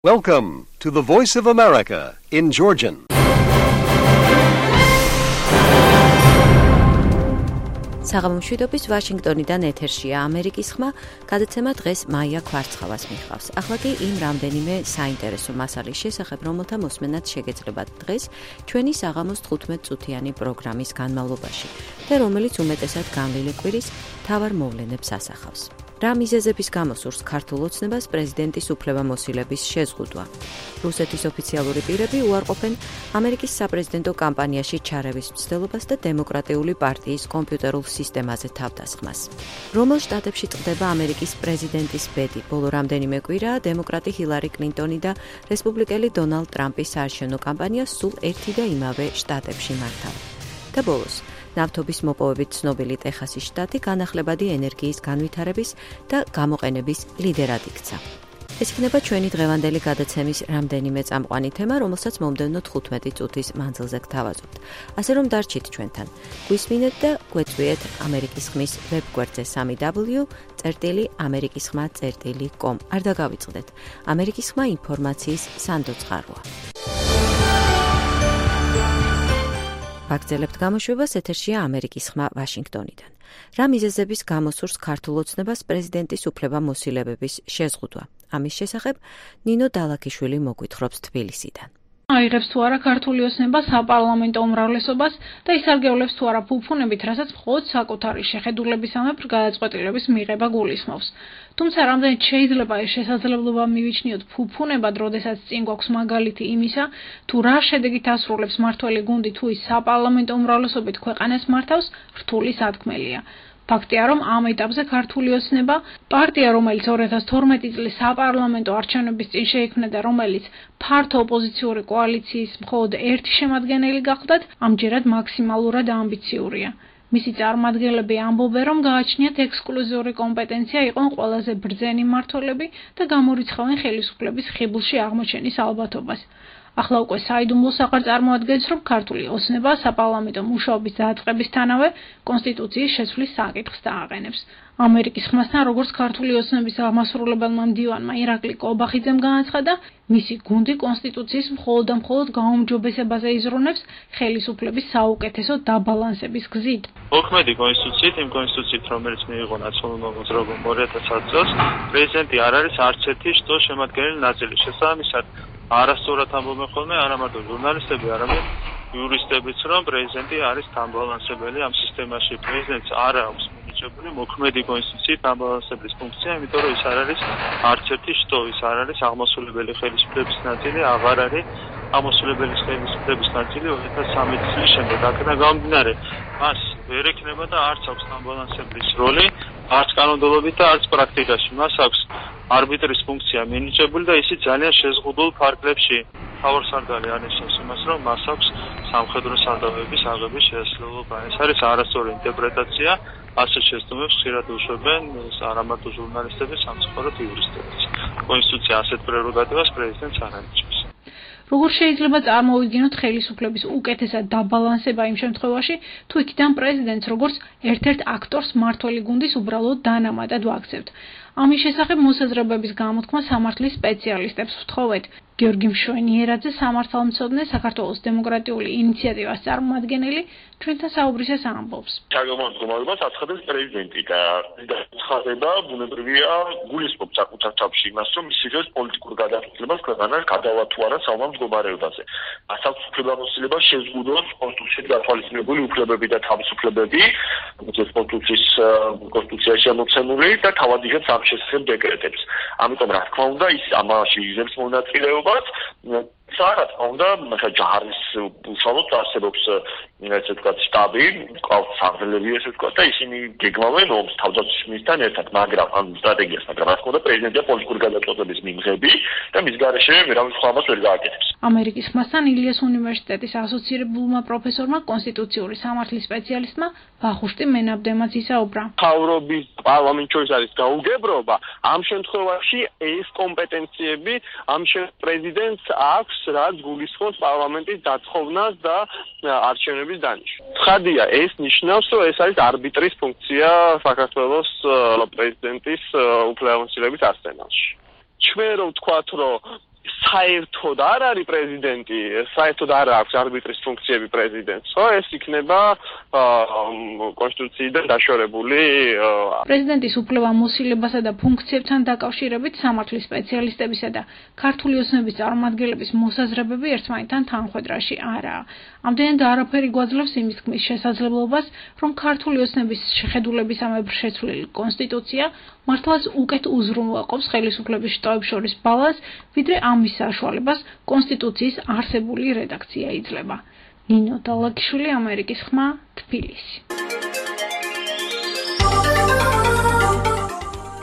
Welcome to the Voice of America in Georgian. საღამომშვიდობის ვაშინგტონიდან ეთერშია ამერიკის ხმა, გადაცემა დღეს მაია ქვარცხავას მიჰყავს. ახლა კი იმ რამდენიმე საინტერესო მასალის შესახებ, რომელთა მოსმენაც შეგეძლებათ დღეს ჩვენი საღამოს 15 წუთიანი პროგრამის განმავლობაში და რომელიც უმეტესად განვლილი კვირის მთავარ მოვლენებს ასახავს. რა მიზეზების გამო სურს ქართულ ოცნებას პრეზიდენტის უფლებამოსილების შეზღუდვა. რუსეთის ოფიციალური პირები უარყოფენ ამერიკის საპრეზიდენტო კამპანიაში ჩარევის მცდელობას და დემოკრატიული პარტიის კომპიუტერულ სისტემაზე თავდასხმას. რომელ შტატებში წყდება ამერიკის პრეზიდენტის ბედი? ბოლო რამდენიმე კვირაა დემოკრატი ჰილარი კლინტონი და რესპუბლიკელი დონალდ ტრამპის საარჩევნო კამპანია სულ ერთი და იმავე შტატებში მართავენ. და ბოლოს ნავთობის მოპოვებით ცნობილი ტეხასის შტატი განახლებადი ენერგიის განვითარების და გამოყენების ლიდერად იქცა. ეს იქნება ჩვენი დღევანდელი გადაცემის რამდენიმე წამყვანი თემა, რომელსაც მომდევნო 15 წუთის მანძილზე გთავაზობთ. ასე რომ დარჩით ჩვენთან. გვისმინეთ და გვეწვიეთ ამერიკის ხმის ვებგვერდზე www.amerikisxma.com. არ დაგავიწყდეთ. ამერიკის ხმა ინფორმაციის სანდო წყაროა. ვაგრძელებთ გამოშვებას, ეთერშია ამერიკის ხმა ვაშინგტონიდან. რა მიზეზების გამო სურს ქართულ ოცნებას პრეზიდენტის უფლებამოსილებების შეზღუდვა? ამის შესახებ ნინო დალაქიშვილი მოგვითხრობს თბილისიდან. აიღებს თუ არა ქართული ოცნება საპარლამენტო უმრავლესობას და ისარგებლებს თუ არა ფუფუნებით, რასაც მხოლოდ საკუთარი შეხედულებისამებრ გადაწყვეტილების მიღება გულისხმობს. თუმცა რამდენიც შეიძლება ეს შესაძლებლობა მივიჩნიოთ ფუფუნებად, როდესაც წინ გვაქვს მაგალითი იმისა, თუ რა შედეგით ასრულებს მართველი გუნდი თუ ის საპარლამენტო უმრავლესობით ქვეყანას მართავს, რთული სათქმელია. ფაქტია, რომ ამ ეტაპზე ქართული ოცნება, პარტია, რომელიც 2012 წლის საპარლამენტო არჩევნების წინ შეიქმნა და რომელიც ფართო ოპოზიციური კოალიციის მხოლოდ ერთი შემადგენელი გახლდათ, ამჯერად მაქსიმალურად ამბიციურია. მისი წარმომადგენლები ამბობენ, რომ გააჩნიათ ექსკლუზიური კომპეტენცია იყვნენ ყველაზე ბრძენი მმართველები და გამორიცხავენ ხელისუფლების ხიბლში აღმოჩენის ალბათობას. ახლა უკვე საიდუმლოს აღარ წარმოადგენს, რომ ქართული ოცნება საპარლამენტო მუშაობის დაწყებისთანავე კონსტიტუციის შეცვლის საკითხს დააყენებს. ამერიკის ხმასთან, როგორც ქართული ოცნების აღმასრულებელმა მდივანმა ირაკლი კობახიძემ განაცხადა, მისი გუნდი კონსტიტუციის მხოლოდ და მხოლოდ გაუმჯობესებაზე იზრუნებს ხელისუფლების საუკეთესო დაბალანსების გზით. მოქმედი კონსტიტუციით, იმ კონსტიტუციით, რომელიც მიიღო ნაციონალურ მოძრაობამ 2010 წელს, პრეზიდენტი არ არის არც ერთი შტოს შემადგენელი ნაწილი. შესაბამისად, არასწორად ამბობენ ხოლმე არა მარტო ჟურნალისტები, არამედ იურისტებიც, რომ პრეზიდენტი არის დამბალანსებელი ამ სისტემაში. პრეზიდენტს არ აქვს მინიჭებული მოქმედი კონსტიტუციით დამბალანსებლის ფუნქცია, იმიტომ რომ ის არ არის არც ერთი შტო, ის არ არის აღმასრულებელი ხელისუფლების ნაწილი, აღარ არის აღმასრულებელი ხელისუფლების ნაწილი 2013 წლის შემდეგ. აქედან გამომდინარე, მას ვერ ექნება და არც აქვს დამბალანსებლის როლი, არც კანონმდებლობით და არც პრაქტიკაში. მას აქვს არბიტრის ფუნქცია მინიჭებული და ისიც ძალიან შეზღუდულ ფარგლებში. თავარსარდალი ანიშნავს იმას, რომ მას აქვს სამხედრო სარდაფების აღების შესაძლებლობა. ეს არის არასწორი ინტერპრეტაცია, ასე შეცდომებს ხშირად უშვებენ არა მარტო ჟურნალისტები, სამწუხაროდ იურისტებიც. კონსტიტუცია ასეთ პრეროგატივას პრეზიდენტს არ ანიჭებს. როგორ შეიძლება წარმოვიდგინოთ ხელისუფლების უკეთესად დაბალანსება იმ შემთხვევაში, თუ იქიდან პრეზიდენტს როგორც ერთ-ერთ აქტორს მმართველი გუნდის უბრალოდ დანამატად ვაქცევთ. ამის შესახებ მოსაზრებების გამოთქმა სამართლის სპეციალისტებს ვთხოვეთ. გიორგი მშვენიერაძე, სამართალმცოდნე, საქართველოს დემოკრატიული ინიციატივას წარმომადგენელი, ჩვენთან საუბრისას ამბობს. Ჩაგომართულობას აცხადებს პრეზიდენტი და ცხადება ბუნებრივია გულისხმობს საკუთარ თავში იმას, რომ ის იღებს პოლიტიკურ გადაწყვეტილებას ქვეყანას გადავა თუ არა საომარ მდგომარეობაზე. მას აქვს უფლებამოსილება შეზღუდოს კონსტიტუციით გათვალისწინებული უფლებები და თავისუფლებები, როგორც კონსტიტუციაში ამოცემული და თავად იღებს ამ შესახებ დეკრეტებს. ამიტომ რა თქმა უნდა, ის ამაში იღებს მონაწილეობას. რა თქმა უნდა, ჯარის უშუალოდ არსებობს ესე ვთქვათ შტაბი, ყავს საგრძელები ესე ვთქვათ და ისინი გეგმავენ ომს თავდაცვის ministrთან ერთად, მაგრამ ამ სტრატეგიას, მაგრამ რა თქმა უნდა, პრეზიდენტია პოლიტიკური გადაწყვეტილების მიმღები და მის გარეშე ვერავის სხვა ამას ვერ გააკეთებს. ამერიკის ხმასთან ილიას უნივერსიტეტის ასოცირებულმა პროფესორმა, კონსტიტუციური სამართლის სპეციალისტმა ვახუშტი მენაბდემაც ისაუბრა. მთავრობის პარლამენტ შორის არის გაუგებრობა, ამ შემთხვევაში ეს კომპეტენციები ამ პრეზიდენტს აქვს, რაც გულისხმობს პარლამენტის დათხოვნას და არჩევნების დანიშვნას. ცხადია, ეს ნიშნავს, რომ ეს არის არბიტრის ფუნქცია საქართველოს პრეზიდენტის უფლებამოსილების არსენალში. ჩვენ რომ ვთქვათ, რომ საერთოდ არ არის პრეზიდენტი, საერთოდ არ აქვს არბიტრის ფუნქციები პრეზიდენტს, ხო? ეს იქნება კონსტიტუციიდან დაშორებული. პრეზიდენტის უფლებამოსილებასა და ფუნქციებთან დაკავშირებით სამართლის სპეციალისტებისა და ქართული ოცნების წარმომადგენლების მოსაზრებები ერთმანეთთან თანხვედრაში არაა. ამდენად არაფერი გვაძლევს იმის თქმის შესაძლებლობას, რომ ქართული ოცნების შეხედულებისამებრ შეცვლილი კონსტიტუცია მართლაც უკეთ უზრუნველყოფს ხელისუფლების შტოებს შორის ბალანსს, ვიდრე ამის საშუალებას კონსტიტუციის არსებული რედაქცია იძლევა. ნინო დალაგიშვილი, ამერიკის ხმა, თბილისი.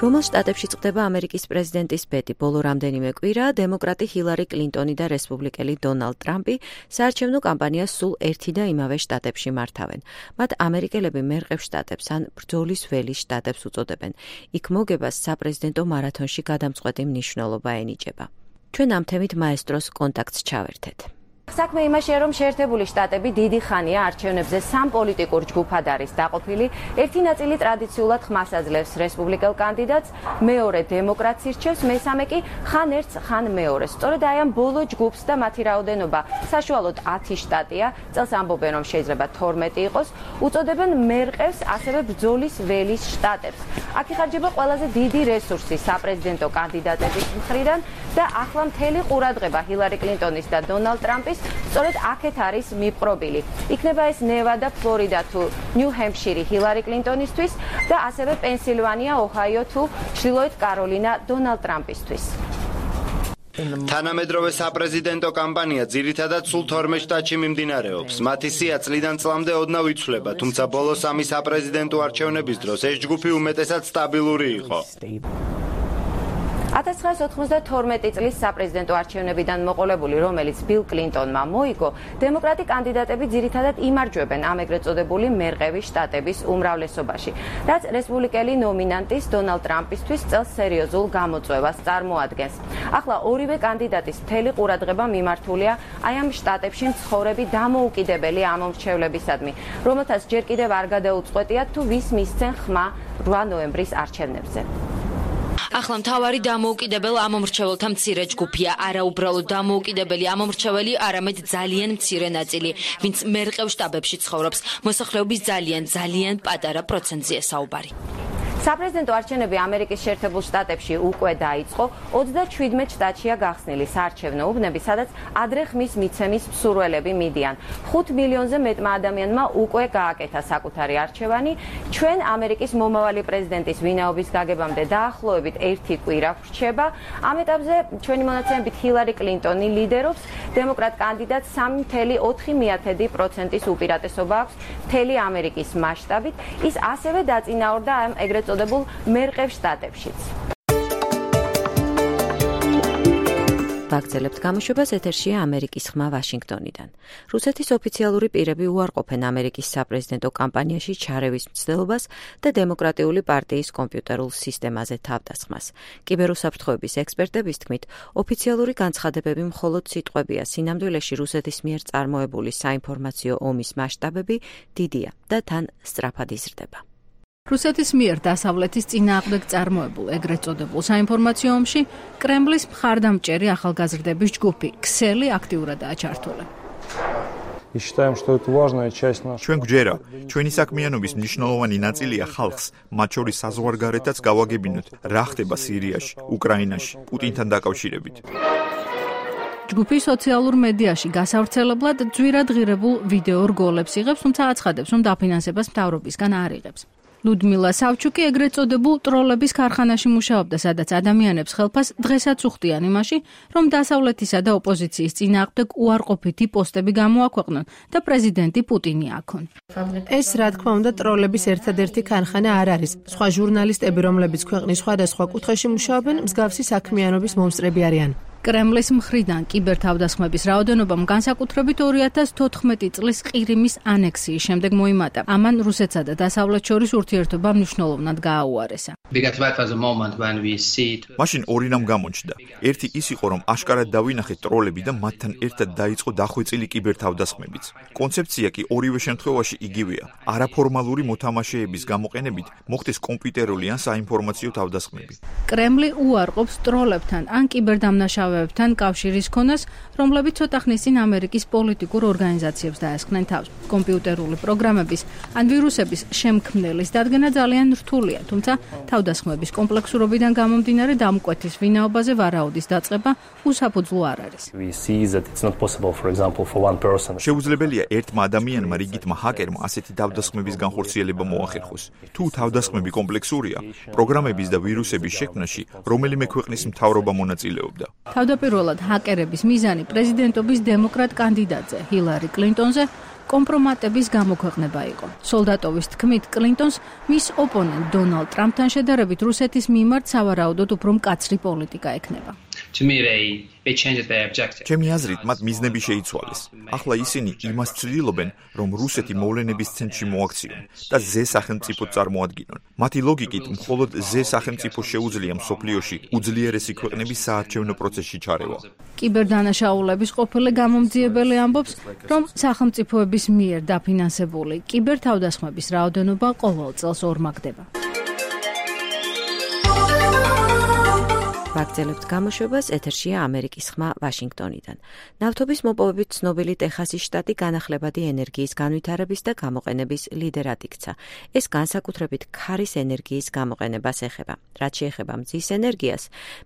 რომელ შტატებში წყდება ამერიკის პრეზიდენტის ბედი? ბოლო რამდენიმე კვირა დემოკრატი ჰილარი კლინტონი და რესპუბლიკელი დონალდ ტრამპი საარჩევნო კამპანიას სულ ერთი და იმავე შტატებში მართავენ. მათ ამერიკელები მერყევ შტატებს ან ბრძოლის ველის შტატებს უწოდებენ. იქ მოგებას საპრეზიდენტო მარათონში გადამწყვეტი მნიშვნელობა ენიჭება. ჩვენ ამ თემით მაესტროს კონტაქტს ჩავერთეთ. საქმე იმაშია, რომ შეერთებული შტატები დიდი ხანია არჩევნებზე სამ პოლიტიკურ ჯგუფად არის დაყოფილი. ერთი ნაწილი ტრადიციულად ხმას აძლევს რესპუბლიკელ კანდიდატს, მეორე დემოკრატს ირჩევს, მესამე კი ხან ერთს, ხან მეორეს. სწორედ აი ამ ბოლო ჯგუფს და მათი რაოდენობა საშუალოდ 10 შტატია, წელს ამბობენ, რომ შეიძლება 12 იყოს, უწოდებენ მერყევს, ასევე ბრძოლის ველის შტატებს. აქ იხარჯება ყველაზე დიდი რესურსი საპრეზიდენტო კანდიდატების მხრიდან და ახლა მთელი ყურადღება ჰილარი კლინტონის და დონალდ ტრამპის სწორედ აქეთ არის მიპყრობილი. იქნება ეს ნევადა, ფლორიდა თუ ნიუ-ჰემპშირი ჰილარი კლინტონისთვის და ასევე პენსილვანია, ოჰაიო თუ ჩრდილოეთ კაროლინა დონალდ ტრამპისთვის. თანამედროვე საპრეზიდენტო კამპანია ძირითადად სულ 12 შტატში მიმდინარეობს. მათი სია წლიდან წლამდე ოდნავ იცვლება, თუმცა ბოლო სამი საპრეზიდენტო არჩევნების დროს ეს ჯგუფი უმეტესად სტაბილური იყო. 1992 წლის საპრეზიდენტო არჩევნებიდან მოყოლებული, რომელიც ბილ კლინტონმა მოიგო, დემოკრატი კანდიდატები ძირითადად იმარჯვებენ ამ ეგრეთ წოდებული მერყევი შტატების უმრავლესობაში, რაც რესპუბლიკელი ნომინანტის დონალდ ტრამპისთვის წელს სერიოზულ გამოწვევას წარმოადგენს. ახლა ორივე კანდიდატის მთელი ყურადღება მიმართულია აი ამ შტატებში მცხოვრები დამოუკიდებელი ამომრჩევლებისადმი, რომელთაც ჯერ კიდევ არ გადაუწყვეტიათ თუ ვის მისცენ ხმა 8 ნოემბრის არჩევნებზე. ახლა მთავარი დამოუკიდებელ ამომრჩეველთა მცირე ჯგუფია, არა უბრალოდ დამოუკიდებელი ამომრჩეველი, არამედ ძალიან მცირე ნაწილი, ვინც მერყევ შტატებში ცხოვრობს. მოსახლეობის ძალიან პატარა პროცენტზეა საუბარი. საპრეზიდენტო არჩევნები ამერიკის შეერთებულ შტატებში უკვე დაიწყო, 37 შტატშია გახსნილი საარჩევნო უბნები, სადაც ადრე ხმის მიცემის მსურველები მიდიან. 5 მილიონზე მეტმა ადამიანმა უკვე გააკეთა საკუთარი არჩევანი. ჩვენ ამერიკის მომავალი პრეზიდენტის ვინაობის გაგებამდე დაახლოებით 1 კვირა ვრჩება. ამ ეტაპზე ჩვენი მონაცემებით ჰილარი კლინტონი ლიდერობს, დემოკრატ კანდიდატს 3.4% უპირატესობა აქვს მთელი ამერიკის მასშტაბით. ის ასევე დაწინაურდა ამ ეგრეთ წოდებულ მერყევ შტატებშიც. ვაგრძელებთ გამოშვებას, ეთერშია ამერიკის ხმა ვაშინგტონიდან. რუსეთის ოფიციალური პირები უარყოფენ ამერიკის საპრეზიდენტო კამპანიაში ჩარევის მცდელობას და დემოკრატიული პარტიის კომპიუტერულ სისტემაზე თავდასხმას. კიბერუსაფრთხოების ექსპერტების თქმით, ოფიციალური განცხადებები მხოლოდ სიტყვებია, სინამდვილეში რუსეთის მიერ წარმოებული საინფორმაციო ომის მასშტაბები დიდია და თან სწრაფად იზრდება. რუსეთის მიერ დასავლეთის წინააღმდეგ წარმოებულ ეგრეთ წოდებულ საინფორმაციო ომში კრემლის მხარდამჭერი ახალგაზრდების ჯგუფი ქსელი აქტიურადაა ჩართული. ჩვენ გვჯერა, ჩვენი საქმიანობის მნიშვნელოვანი ნაწილია ხალხს, მათ შორის საზღვარგარეთაც გავაგებინოთ, რა ხდება სირიაში, უკრაინაში, პუტინთან დაკავშირებით. ჯგუფი სოციალურ მედიაში გასავრცელებლად ძვირად ღირებულ ვიდეო რგოლებს იღებს, თუმცა აცხადებს, რომ დაფინანსებას მთავრობისგან არ იღებს. ლუდმილა სავჩუკი ეგრეთ წოდებულ ტროლების ქარხანაში მუშაობდა, სადაც ადამიანებს ხელფას დღესაც უხდიან იმაში, რომ დასავლეთისა და ოპოზიციის წინააღმდეგ უარყოფითი პოსტები გამოაქვეყნონ და პრეზიდენტი პუტინი აქონ. ეს რა თქმა უნდა ტროლების ერთადერთი ქარხანა არ არის. სხვა ჟურნალისტები, რომლებიც ქვეყნის სხვადასხვა კუთხეში მუშაობენ, მსგავსი საქმიანობის მომსწრები არიან. კრემლის მხრიდან კიბერთავდასხმების რაოდენობამ განსაკუთრებით 2014 წლის ყირიმის ანექსიის შემდეგ მოიმატა. ამან რუსეთსა და დასავლეთს შორის ურთიერთობა მნიშვნელოვნად გააუარესა. მაშინ ორი რამ გამოჩნდა. ერთი ის იყო, რომ აშკარად დავინახეთ ტროლები და მათთან ერთად დაიწყო დახვეწილი კიბერთავდასხმებიც. კონცეფცია კი ორივე შემთხვევაში იგივეა. არაფორმალური მოთამაშეების გამოყენებით მოხდეს კომპიუტერული ან საინფორმაციო თავდასხმები. კრემლი უარყოფს ტროლებთან ან კიბერდამნაშავეებთან მიღწევებთან კავშირის ქონას, რომლებიც ცოტა ხნის წინ ამერიკის პოლიტიკურ ორგანიზაციებს დაესხნენ თავს. კომპიუტერული პროგრამების ან ვირუსების შემქმნელის დადგენა ძალიან რთულია, თუმცა თავდასხმების კომპლექსურობიდან გამომდინარე დამკვეთის ვინაობაზე ვარაუდის დაწყება უსაფუძვლო არ არის. შეუძლებელია ერთმა ადამიანმა რიგითმა ჰაკერმა ასეთი თავდასხმების განხორციელება მოახერხოს. თუ თავდასხმები კომპლექსურია, პროგრამების და ვირუსების შექმნაში რომელიმე ქვეყნის მთავრობა მონაწილეობდა. თავდაპირველად ჰაკერების მიზანი პრეზიდენტობის დემოკრატ კანდიდატზე, ჰილარი კლინტონზე კომპრომატების გამოქვეყნება იყო. სოლდატოვის თქმით, კლინტონს მის ოპონენტ დონალდ ტრამპთან შედარებით რუსეთის მიმართ სავარაუდოდ უფრო მკაცრი პოლიტიკა ექნება. ჩემი აზრით, მათ მიზნები შეიცვალეს. ახლა ისინი იმას ცდილობენ, რომ რუსეთი მოვლენების ცენტრში მოაქციონ და ზე სახელმწიფო წარმოადგინონ. მათი ლოგიკით, მხოლოდ ზე სახელმწიფო შეუძლია მსოფლიოში უძლიერესი ქვეყნების საარჩევნო პროცესში ჩარევა. კიბერდანაშაულების ყოფილი გამომძიებელი ამბობს, რომ სახელმწიფოების მიერ დაფინანსებული კიბერთავდასხმების რაოდენობა ყოველ წელს ორმაგდება. ვაგრძელებთ გამოშვებას, ეთერშია ამერიკის ხმა ვაშინგტონიდან. ნავთობის მოპოვებით ცნობილი ტეხასის შტატი განახლებადი ენერგიის განვითარების და გამოყენების ლიდერად იქცა. ეს განსაკუთრებით ქარის ენერგიის გამოყენებას ეხება. რაც შეეხება მზის ენერგიას,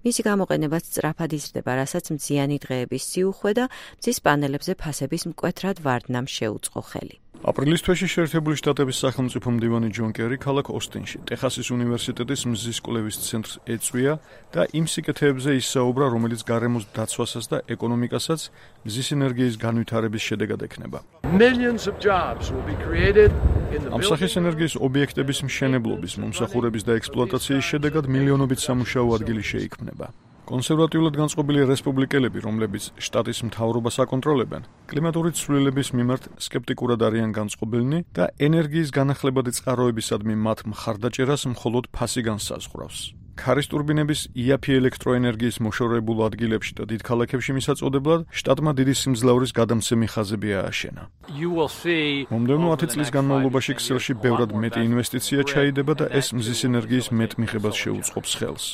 მისი გამოყენებაც სწრაფად იზრდება, რასაც მზიანი დღეების სიუხვე და მზის პანელებზე ფასების მკვეთრად ვარდნამ შეუწყო ხელი. აპრილის თვეში შეერთებული შტატების სახელმწიფო მდივანი ჯონ კერი ქალაქ ოსტინში, ტეხასის უნივერსიტეტის მზის კვლევის ცენტრს ეწვია და იმ სიკეთეებზე ისაუბრა, რომელიც გარემოს დაცვასაც და ეკონომიკასაც მზის ენერგიის განვითარების შედეგად ექნება. ამ სახის ენერგიის ობიექტების მშენებლობის, მომსახურების და ექსპლუატაციის შედეგად მილიონობით სამუშაო ადგილი შეიქმნება. კონსერვატიულად განწყობილი რესპუბლიკელები, რომლებიც შტატის მთავრობას აკონტროლებენ, კლიმატური ცვლილების მიმართ სკეპტიკურად არიან განწყობილნი და ენერგიის განახლებადი წყაროებისადმი მათ მხარდაჭერას მხოლოდ ფასი განსაზღვრავს. ქარის ტურბინების იაფი ელექტროენერგიის მოშორებულ ადგილებში და დიდ ქალაქებში მისაწოდებლად შტატმა დიდი სიმძლავრის გადამცემი ხაზები ააშენა. მომდევნო 10 წლის განმავლობაში ქსელში ბევრად მეტი ინვესტიცია ჩაიდება და ეს მზის ენერგიის მეტ მიღებას შეუწყობს ხელს.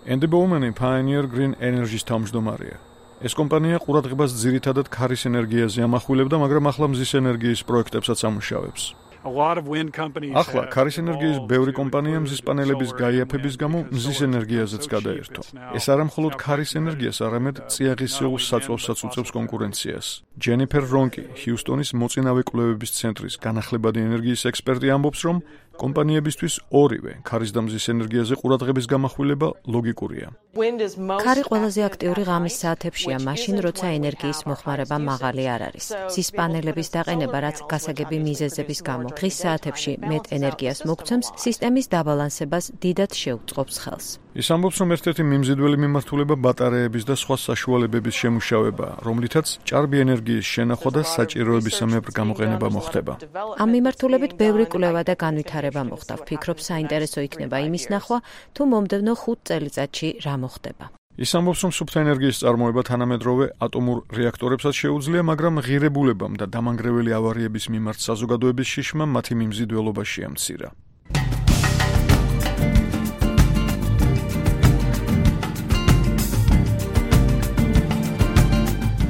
Andy Bowman Pioneer Green Energy-ს თავმჯდომარეა. ეს კომპანია ყურადღებას ძირითადად ქარის ენერგიაზე ამახვილებდა, მაგრამ ახლა მზის ენერგიის პროექტებსაც ამუშავებს. ახლა ქარის ენერგიის ბევრი კომპანია მზის პანელების გაიაფების გამო მზის ენერგიაზეც გადაერთო. ეს არა მხოლოდ ქარის ენერგიას, არამედ წიაღისეულ საწვავსაც უწევს კონკურენციას. ჯენიფერ რონკი, ჰიუსტონის მოწინავე კვლევების ცენტრის განახლებადი ენერგიის ექსპერტი ამბობს, რომ კომპანიებისთვის ორივე ქარის და მზის ენერგიაზე ყურადღების გამახვილება ლოგიკურია. ქარი ყველაზე აქტიური ღამის საათებშია, მაშინ როცა ენერგიის მოხმარება მაღალი არ არის. მზის პანელების დაყენება, რაც გასაგები მიზეზების გამო დღის საათებში მეტ ენერგიას მოგცემს, სისტემის დაბალანსებას დიდად შეუწყობს ხელს. ის ამბობს, რომ ერთ-ერთი მიმზიდველი მიმართულება ბატარეების და სხვა საშუალებების შემუშავებაა, რომლითაც ჭარბი ენერგიის შენახვა და საჭიროებისამებრ გამოყენება მოხდება. ამ მიმართულებით ბევრი კვლევა და განვითარება მოხდა. ვფიქრობ, საინტერესო იქნება იმის ნახვა, თუ მომდევნო 5 წელიწადში რა მოხდება. ის ამბობს, რომ სუფთა ენერგიის წარმოება თანამედროვე ატომურ რეაქტორებსაც შეუძლია, მაგრამ ღირებულებამ და დამანგრეველი ავარიების მიმართ საზოგადოების შიშმა მათი მიმზიდველობა შეამცირა.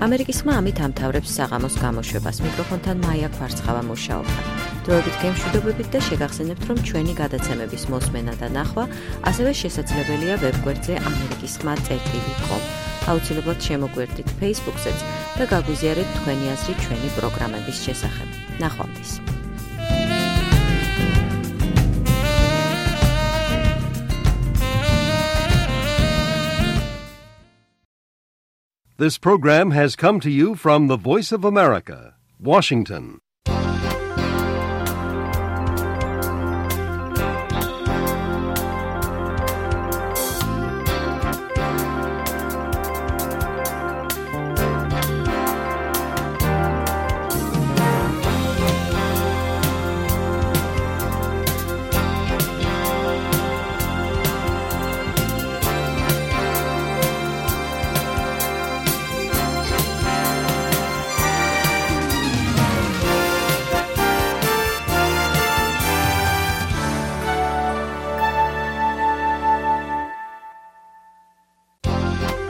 ამერიკის ხმა ამით ამთავრებს საღამოს გამოშვებას. მიკროფონთან მაია კვარცხავა მუშაობდა. დროებით გემშვიდობებით და შეგახსენებთ, რომ ჩვენი გადაცემების მოსმენა და ნახვა ასევე შესაძლებელია ვებგვერდზე amerikiskhma.com. აუცილებლად შემოგვერდით Facebook-ზეც და გაგვიზიარეთ თქვენი აზრი ჩვენი პროგრამების შესახებ. ნახვამდის. This program has come to you from the Voice of America, Washington.